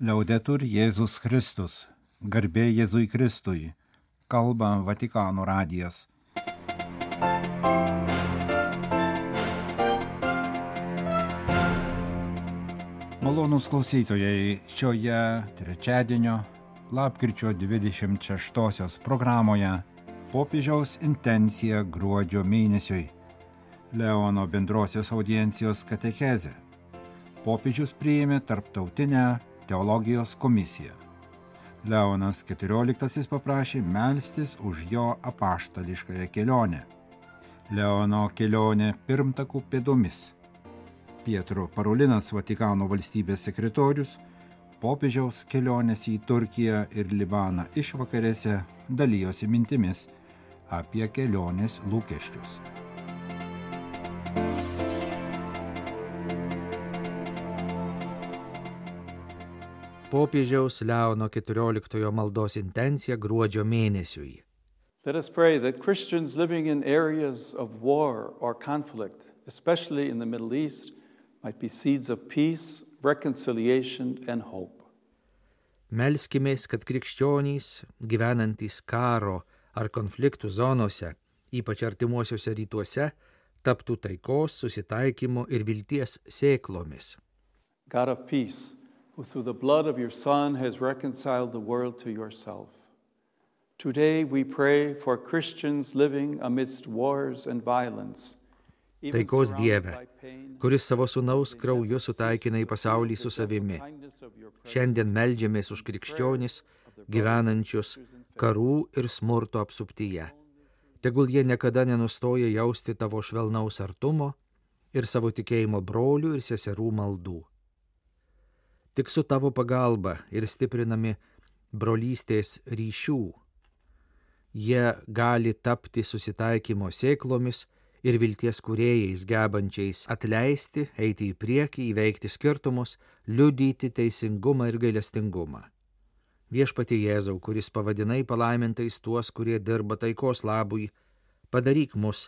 Liaudetur Jėzus Kristus, garbė Jėzui Kristui, kalba Vatikano radijas. Malonūs klausytojai, šioje trečiadienio, lapkričio 26 programoje popiežiaus intencija gruodžio mėnesiui, Leono bendrosios audiencijos katechezė. Popiežius priėmė tarptautinę teologijos komisiją. Leonas XIV paprašė melstis už jo apaštališkąją kelionę. Leono kelionė pirmtakų pėdomis. Pietro Parolinas, Vatikano valstybės sekretorius, popiežiaus kelionės į Turkiją ir Libaną išvakarėse dalijosi mintimis apie kelionės lūkesčius. Popiežiaus Leono XIV maldos intencija gruodžio mėnesiui. Let us pray that Christians living in areas of war or conflict, especially in the Middle East, might be seeds of peace, reconciliation and hope. Melskimės, kad krikščionys, gyvenantys karo ar konfliktų zonose, ypač artimuosiuose rytuose, taptų taikos, susitaikymo ir vilties sėklomis. God of peace, who through the blood of your Son has reconciled the world to yourself. Today we pray for Christians living amidst wars and violence. Taikos Dieve, kuris savo sūnaus krauju sutaikinai pasaulį su savimi. Šiandien meldžiamės už krikščionis, gyvenančius karų ir smurto apsuptyje. Tegul jie niekada nenustoja jausti tavo švelnaus artumo ir savo tikėjimo brolių ir seserų maldų. Tik su tavo pagalba ir stiprinami brolystės ryšių, jie gali tapti susitaikymo sėklomis ir vilties kūrėjais, gebančiais atleisti, eiti į priekį, įveikti skirtumus, liudyti teisingumą ir gailestingumą. Viešpatie Jėzau, kuris pavadinai palaimintais tuos, kurie dirba taikos labui, padaryk mus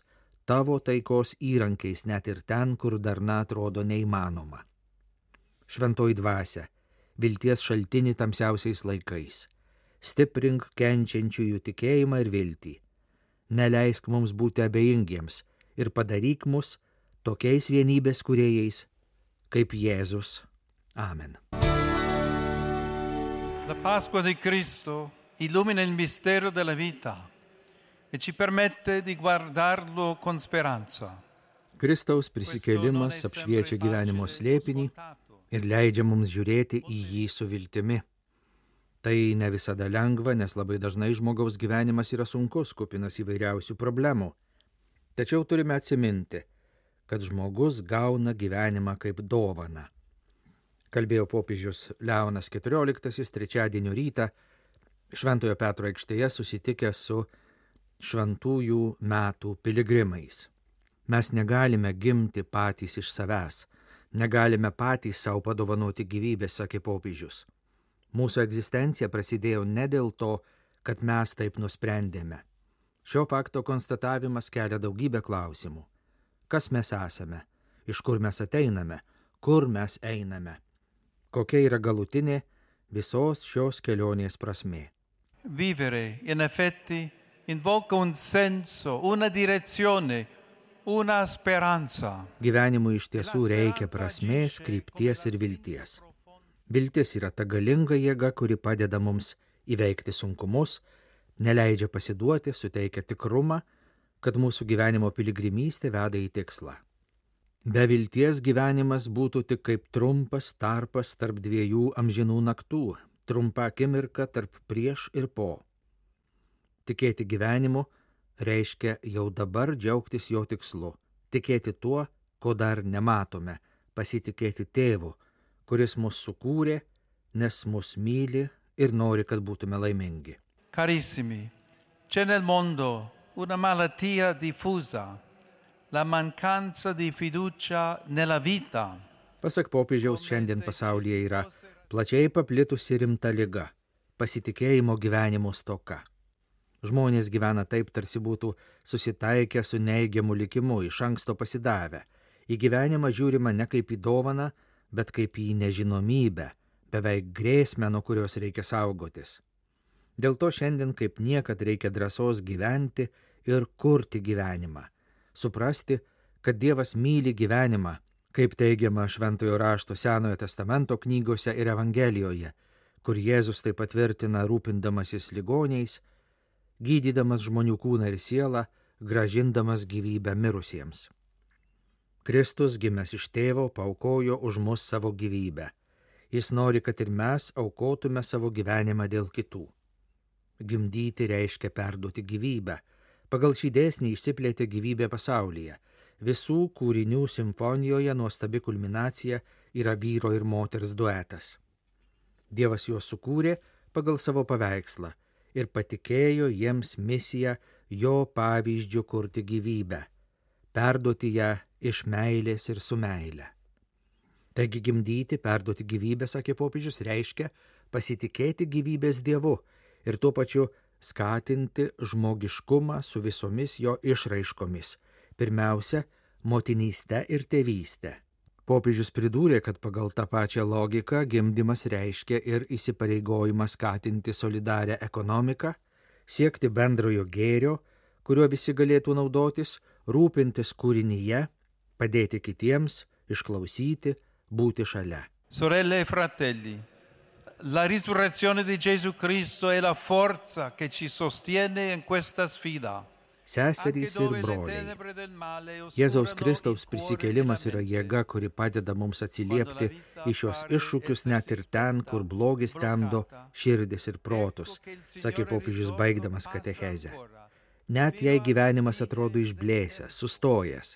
tavo taikos įrankiais net ir ten, kur darna atrodo neįmanoma. Šventoji dvasia, vilties šaltinį tamsiausiais laikais, stiprink kenčiančiųjų tikėjimą ir viltį. Neleisk mums būti abejingiems ir padaryk mus tokiais vienybės kūrėjais, kaip Jėzus. Amen. La Pasqua di Cristo illumina il mistero della vita e ci permette di guardarlo con speranza. Kristaus prisikėlimas apšviečia gyvenimo slėpinį ir leidžia mums žiūrėti į jį su viltimi. Tai ne visada lengva, nes labai dažnai žmogaus gyvenimas yra sunkus, kupinas įvairiausių problemų. Tačiau turime atsiminti, kad žmogus gauna gyvenimą kaip dovaną. Kalbėjo popiežius Leonas XIV trečiadienio rytą Šventojo Petro aikštėje susitikęs su šventųjų metų piligrimais. Mes negalime gimti patys iš savęs, negalime patys savo padovanoti gyvybę, sakė popiežius. Mūsų egzistencija prasidėjo ne dėl to, kad mes taip nusprendėme. Šio fakto konstatavimas kelia daugybę klausimų. Kas mes esame? Iš kur mes ateiname? Kur mes einame? Kokia yra galutinė visos šios kelionės prasmė? Vivere, in effetti, invoca un senso, una direzione, una speranza. Gyvenimui iš tiesų reikia prasmės, krypties ir vilties. Viltis yra ta galinga jėga, kuri padeda mums įveikti sunkumus, neleidžia pasiduoti, suteikia tikrumą, kad mūsų gyvenimo piligrimystė veda į tikslą. Be vilties gyvenimas būtų tik kaip trumpas tarpas tarp dviejų amžinų naktų, trumpa akimirka tarp prieš ir po. Tikėti gyvenimu reiškia jau dabar džiaugtis jo tikslu, tikėti tuo, ko dar nematome, pasitikėti tėvu, kuris mus sukūrė, nes mus myli ir nori, kad būtume laimingi. Carissimi, c'è nel mondo una malattia diffusa, la mancanza di fiducia nella vita. Pasak popiežiaus, šiandien pasaulyje yra plačiai paplitusi rimta liga – pasitikėjimo gyvenimo stoka. Žmonės gyvena taip, tarsi būtų susitaikę su neigiamu likimu, iš anksto pasidavę. Į gyvenimą žiūrima ne kaip į dovaną, bet kaip į nežinomybę, beveik grėsmę, nuo kurios reikia saugotis. Dėl to šiandien kaip niekad reikia drąsos gyventi ir kurti gyvenimą. Suprasti, kad Dievas myli gyvenimą, kaip teigiama Šventojo rašto Senojo testamento knygose ir Evangelijoje, kur Jėzus tai patvirtina rūpindamasis ligoniais, gydydamas žmonių kūną ir sielą, grąžindamas gyvybę mirusiems. Kristus, gimęs iš tėvo, paaukojo už mus savo gyvybę. Jis nori, kad ir mes aukotume savo gyvenimą dėl kitų. Gimdyti reiškia perduoti gyvybę. Pagal šį dėsnį išsiplėtė gyvybė pasaulyje. Visų kūrinių simfonijoje nuostabi kulminacija yra vyro ir moters duetas. Dievas juos sukūrė pagal savo paveikslą ir patikėjo jiems misiją jo pavyzdžiu kurti gyvybę, perduoti ją iš meilės ir su meile. Taigi gimdyti, perduoti gyvybę, sakė popiežius, reiškia pasitikėti gyvybės Dievu ir tuo pačiu skatinti žmogiškumą su visomis jo išraiškomis, pirmiausia, motinystę ir tėvystę. Popiežius pridūrė, kad pagal tą pačią logiką gimdymas reiškia ir įsipareigojimą skatinti solidarią ekonomiką, siekti bendrojo gėrio, kuriuo visi galėtų naudotis, rūpintis kūrinyje, padėti kitiems, išklausyti, būti šalia. Sorelle e fratelli, la risurrezione di Gesù Cristo è la forza che ci sostiene in questa sfida. Seserys ir broliai, Jėzaus Kristaus prisikėlimas yra jėga, kuri padeda mums atsiliepti į šios iššūkius net ir ten, kur blogis temdo širdis ir protus, sakė popiežius baigdamas katechezę. Net jei gyvenimas atrodo išblėsęs, sustojęs,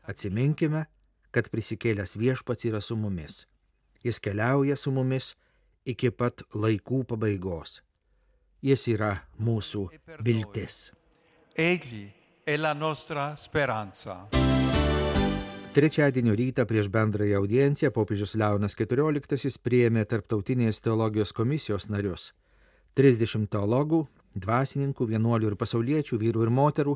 atsiminkime, kad prisikėlęs Viešpats yra su mumis. Jis keliauja su mumis iki pat laikų pabaigos. Jis yra mūsų viltis. Egli è la nostra speranza. Trečiadienio rytą prieš bendrąją audienciją popiežius Leonas XIV priėmė Tarptautinės teologijos komisijos narius, 30 teologų, dvasininkų, vienuolių ir pasauliečių, vyrų ir moterų,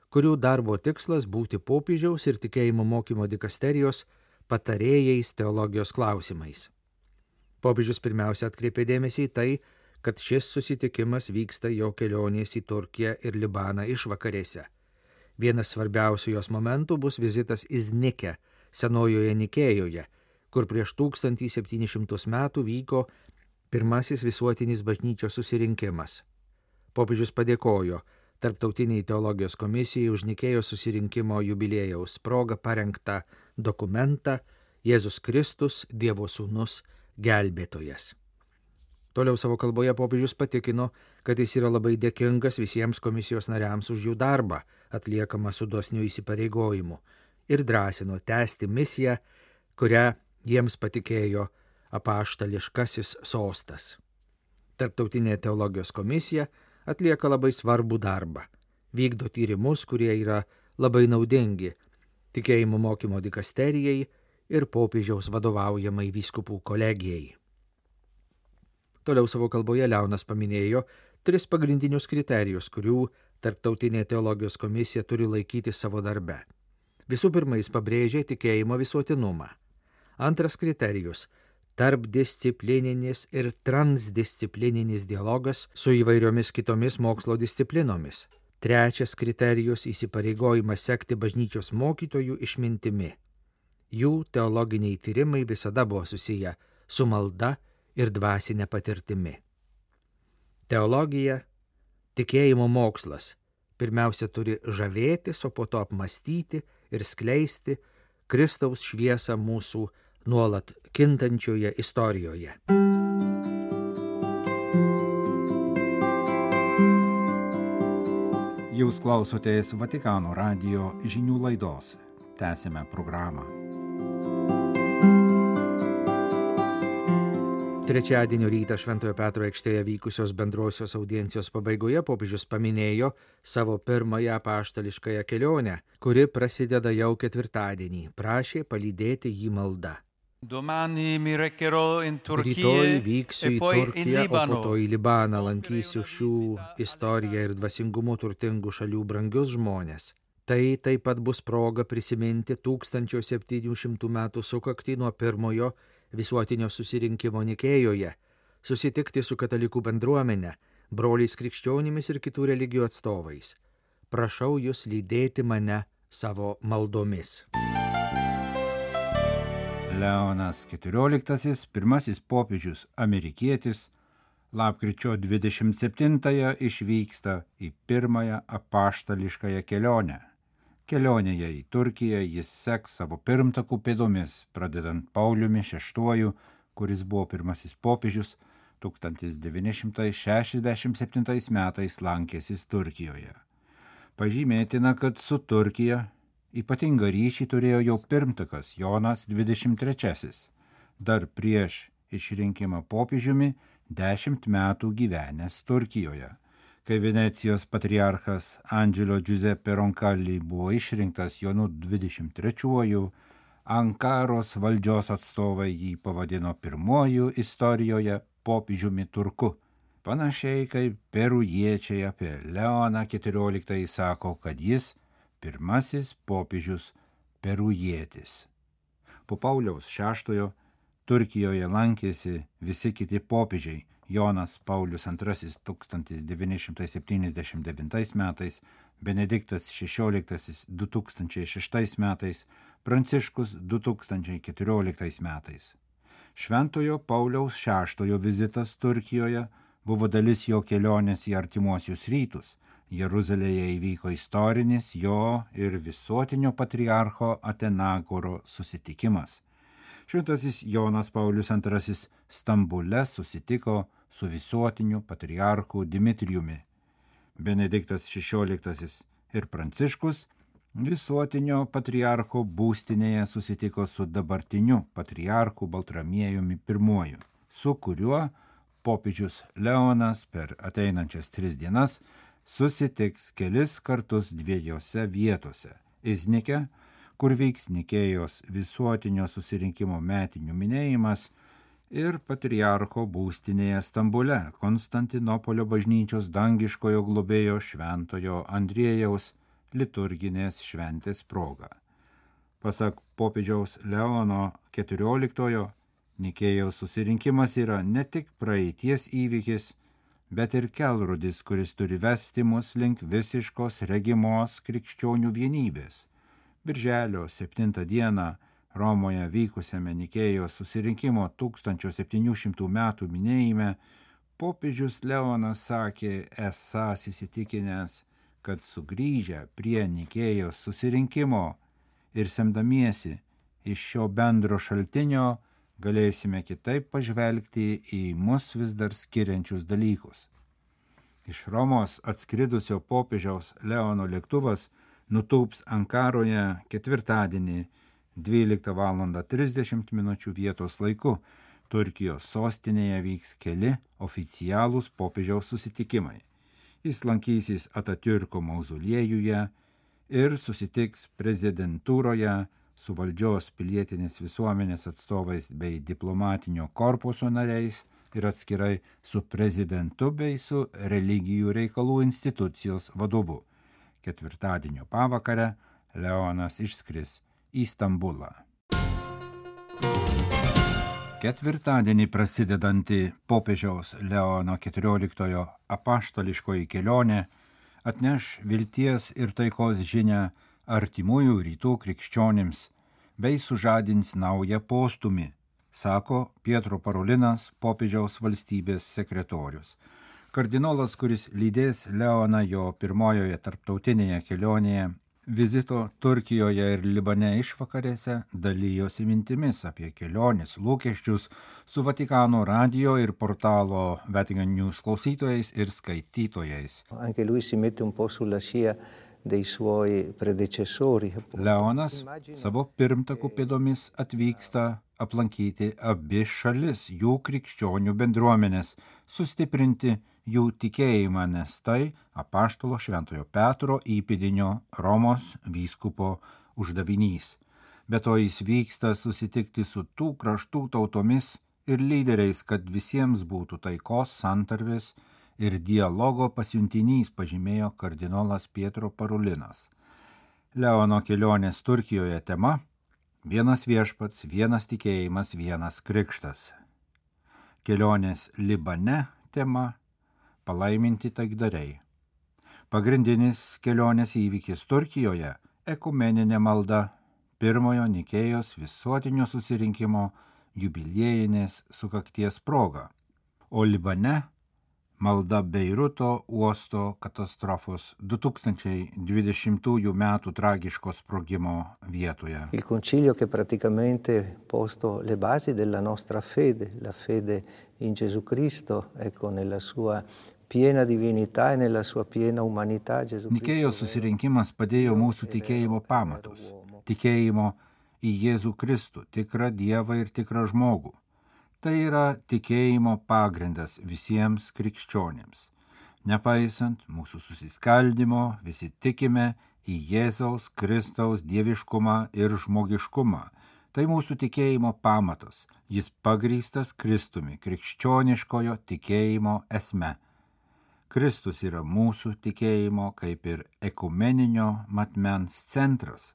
kurių darbo tikslas būti popiežiaus ir tikėjimo mokymo dikasterijos patarėjais teologijos klausimais. Popiežius pirmiausia atkreipė dėmesį į tai, kad šis susitikimas vyksta jo kelionės į Turkiją ir Libaną išvakarėse. Vienas svarbiausių jos momentų bus vizitas Iznike, senojoje Nikėjoje, kur prieš 1700 metų vyko pirmasis visuotinis bažnyčios susirinkimas. Popiežius padėkojo Tarptautiniai teologijos komisijai už Nikėjos susirinkimo jubiliejaus progą parengtą dokumentą Jėzus Kristus, Dievo sūnus, gelbėtojas. Toliau savo kalboje popiežius patikino, kad jis yra labai dėkingas visiems komisijos nariams už jų darbą, atliekamą su dosniu įsipareigojimu, ir drąsino tęsti misiją, kurią jiems patikėjo apaštališkasis sostas. Tarptautinė teologijos komisija atlieka labai svarbų darbą, vykdo tyrimus, kurie yra labai naudingi tikėjimo mokymo dikasterijai ir popiežiaus vadovaujamai vyskupų kolegijai. Toliau savo kalboje Leonas paminėjo 3 pagrindinius kriterijus, kurių Tarptautinė teologijos komisija turi laikyti savo darbe. Visų pirma, jis pabrėžė tikėjimo visuotinumą. Antras kriterijus – tarpdisciplininis ir transdisciplininis dialogas su įvairiomis kitomis mokslo disciplinomis. Trečias kriterijus – įsipareigojimas sekti bažnyčios mokytojų išmintimi. Jų teologiniai tyrimai visada buvo susiję su malda ir dvasinė patirtimi. Teologija, tikėjimo mokslas, pirmiausia turi žavėtis, o po to apmąstyti ir skleisti Kristaus šviesą mūsų nuolat kintančioje istorijoje. Jūs klausotės Vatikano radijo žinių laidos. Tęsime programą. Trečiadienio rytą Šventojo Petro aikštėje vykusios bendrosios audiencijos pabaigoje popiežius paminėjo savo pirmąją apaštališkąją kelionę, kuri prasideda jau ketvirtadienį, prašė palydėti jį malda. Rytoj vyksiu į Turkiją, o po to į Libaną, lankysiu šių istoriją ir dvasingumu turtingų šalių brangius žmonės. Tai taip pat bus proga prisiminti 1700 metų sukaktį nuo pirmojo visuotinio susirinkimo Nikėjoje, susitikti su katalikų bendruomenė, broliais krikščionimis ir kitų religijų atstovais. Prašau jūs lydėti mane savo maldomis. Leonas XIV, pirmasis popiežius amerikietis, lapkričio 27-ąją išvyksta į pirmąją apaštališkąją kelionę. Kelionėje į Turkiją jis seks savo pirmtakų pėdomis, pradedant Pauliumi VI, kuris buvo pirmasis popiežius, 1967 metais lankėsis Turkijoje. Pažymėtina, kad su Turkija ypatingą ryšį turėjo jau pirmtakas Jonas XXIII, dar prieš išrinkimą popiežiumi 10 metų gyvenęs Turkijoje. Kai Venecijos patriarchas Angelo Giuseppe Roncalli buvo išrinktas Jonu XXIII, Ankaros valdžios atstovai jį pavadino pirmuoju istorijoje popiežiumi turku. Panašiai kaip perujiečiai apie Leoną XIV sako, kad jis pirmasis popiežius perujietis. Po Pauliaus VI Turkijoje lankėsi visi kiti popiežiai: Jonas Paulius II 1979 metais, Benediktas XVI 2006 metais, Pranciškus 2014 metais. Šventojo Pauliaus VI vizitas Turkijoje buvo dalis jo kelionės į artimuosius rytus. Jeruzalėje įvyko istorinis jo ir visuotinio patriarcho Atenagoro susitikimas. Šventasis Jonas Paulius II Stambule susitiko su visuotiniu patriarchu Dimitrijumi. Benediktas XVI ir Pranciškus visuotinio patriarcho būstinėje susitiko su dabartiniu patriarchu Baltramiejumi I, su kuriuo popiežius Leonas per ateinančias 3 dienas susitiks kelis kartus 2 vietose: Iznike, kur vyks Nikėjos visuotinio susirinkimo metinių minėjimas, ir patriarcho būstinėje Stambule, Konstantinopolio bažnyčios dangiškojo globėjo Šventojo Andriejaus liturginės šventės proga. Pasak popiežiaus Leono XIV, Nikėjaus susirinkimas yra ne tik praeities įvykis, bet ir kelrodis, kuris turi vesti mus link visiškos regimos krikščionių vienybės. Birželio 7 dieną Romoje vykusiame Nikėjos susirinkimo 1700 metų minėjime popiežius Leonas sakė esąs įsitikinęs, kad sugrįžę prie Nikėjos susirinkimo ir semdamiesi iš šio bendro šaltinio galėsime kitaip pažvelgti į mus vis dar skiriančius dalykus. Iš Romos atskridusio popiežiaus Leono lėktuvas nutūps Ankaroje ketvirtadienį 12:30 vietos laiku. Turkijos sostinėje vyks keli oficialūs popiežiaus susitikimai. Jis lankysis Atatürko mauzoliejuje ir susitiks prezidentūroje su valdžios pilietinės visuomenės atstovais bei diplomatinio korpuso nariais ir atskirai su prezidentu bei su religijų reikalų institucijos vadovu. Ketvirtadienio pavakarę Leonas išskris į Stambulą. Ketvirtadienį prasidedanti popiežiaus Leono XIV apaštališkoji kelionė atneš vilties ir taikos žinią artimųjų rytų krikščionims bei sužadins naują postūmį, sako Pietro Parolinas, popiežiaus valstybės sekretorius. Kardinolas, kuris lydės Leoną jo pirmojoje tarptautinėje kelionėje, vizito Turkijoje ir Libane išvakarėse dalijosi mintimis apie kelionės lūkesčius su Vatikano radijo ir portalo Vatican News klausytojais ir skaitytojais. Anche lui si mette un po' sulla scia dei suoi predecessori. Leonas savo pirmtakų pėdomis atvyksta aplankyti abi šalis, jų krikščionių bendruomenės, sustiprinti jų tikėjimą, nes tai apaštalo Šventojo Petro įpėdinio Romos vyskupo uždavinys. Be to jis vyksta susitikti su tų kraštų tautomis ir lyderiais, kad visiems būtų taikos, santarvės ir dialogo pasiuntinys, pažymėjo kardinolas Pietro Parolinas. Leono kelionės Turkijoje tema – Vienas viešpats, vienas tikėjimas, vienas krikštas. Kelionės Libane tema – palaiminti taikdariai. Pagrindinis kelionės įvykis Turkijoje – ekumeninė malda pirmojo Nikėjos visuotinio susirinkimo jubiliejinės sukakties proga, o Libane – malda Beiruto uosto katastrofos 2020 metų tragiško sprogimo vietoje. Il concilio che praticamente posto le basi della nostra fede, la fede in Gesù Cristo, ecco, nella sua piena divinità e nella sua piena umanità. Nikėjos susirinkimas padėjo mūsų tikėjimo pamatus, tikėjimo į Jėzų Kristų, tikrą Dievą ir tikrą žmogų. Tai yra tikėjimo pagrindas visiems krikščionėms. Nepaisant mūsų susiskaldimo, visi tikime į Jėzaus Kristaus dieviškumą ir žmogiškumą. Tai mūsų tikėjimo pamatas, jis pagrįstas Kristumi, krikščioniškojo tikėjimo esme. Kristus yra mūsų tikėjimo kaip ir ekumeninio matmens centras.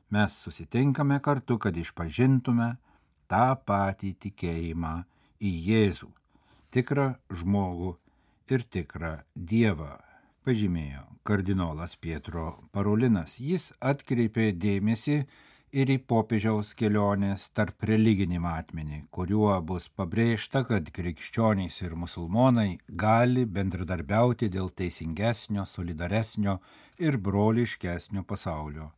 Mes susitinkame kartu, kad išpažintume tą patį tikėjimą į Jėzų, tikrą žmogų ir tikrą Dievą, pažymėjo kardinolas Pietro Parolinas. Jis atkreipė dėmesį ir į popiežiaus kelionės tarp religinį matmenį, kuriuo bus pabrėžta, kad krikščionys ir musulmonai gali bendradarbiauti dėl teisingesnio, solidaresnio ir broliškesnio pasaulio.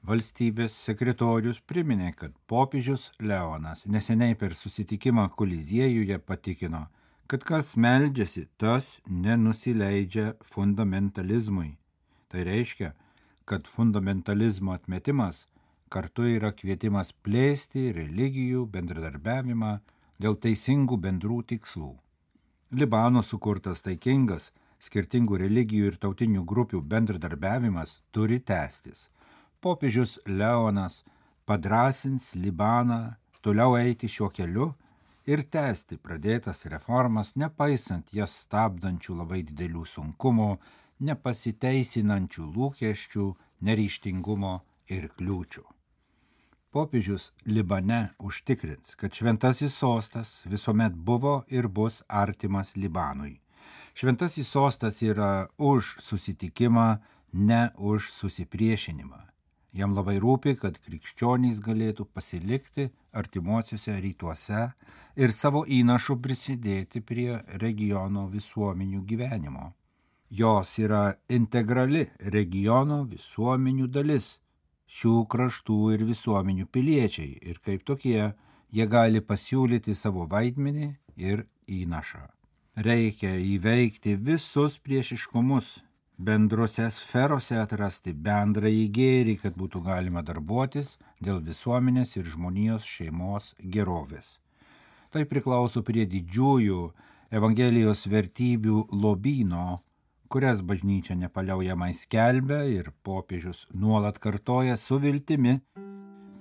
Valstybės sekretorius priminė, kad popiežius Leonas neseniai per susitikimą Koliziejuje patikino, kad kas meldžiasi, tas nenusileidžia fundamentalizmui. Tai reiškia, kad fundamentalizmo atmetimas kartu yra kvietimas plėsti religijų bendradarbiavimą dėl teisingų bendrų tikslų. Libano sukurtas taikingas, skirtingų religijų ir tautinių grupių bendradarbiavimas turi tęstis. Popiežius Leonas padrąsins Libaną toliau eiti šiuo keliu ir tęsti pradėtas reformas, nepaisant jas stabdančių labai didelių sunkumų, nepasiteisinančių lūkesčių, neryžtingumo ir kliūčių. Popiežius Libane užtikrins, kad šventasis sostas visuomet buvo ir bus artimas Libanui. Šventasis sostas yra už susitikimą, ne už susipriešinimą. Jam labai rūpi, kad krikščionys galėtų pasilikti artimuosiuose rytuose ir savo įnašu prisidėti prie regiono visuomenių gyvenimo. Jos yra integrali regiono visuomenių dalis, šių kraštų ir visuomenių piliečiai, ir kaip tokie jie gali pasiūlyti savo vaidmenį ir įnašą. Reikia įveikti visus priešiškumus, bendrose sferose atrasti bendrąjį gėrį, kad būtų galima darbuotis dėl visuomenės ir žmonijos šeimos gerovės. Tai priklauso prie didžiųjų Evangelijos vertybių lobyno, kurias bažnyčia nepaliaujamai skelbia ir popiežius nuolat kartoja su viltimi,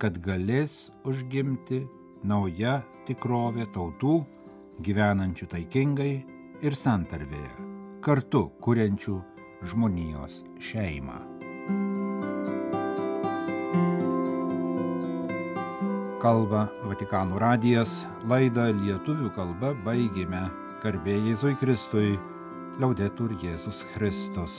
kad galės užgimti nauja tikrovė tautų, gyvenančių taikingai ir santarvėje, kartu kuriančių žmonijos šeimą. Kalba Vatikano radijas, laidą lietuvių kalba baigėme. Garbė Jėzui Kristui, Laudetur Jėzus Kristus.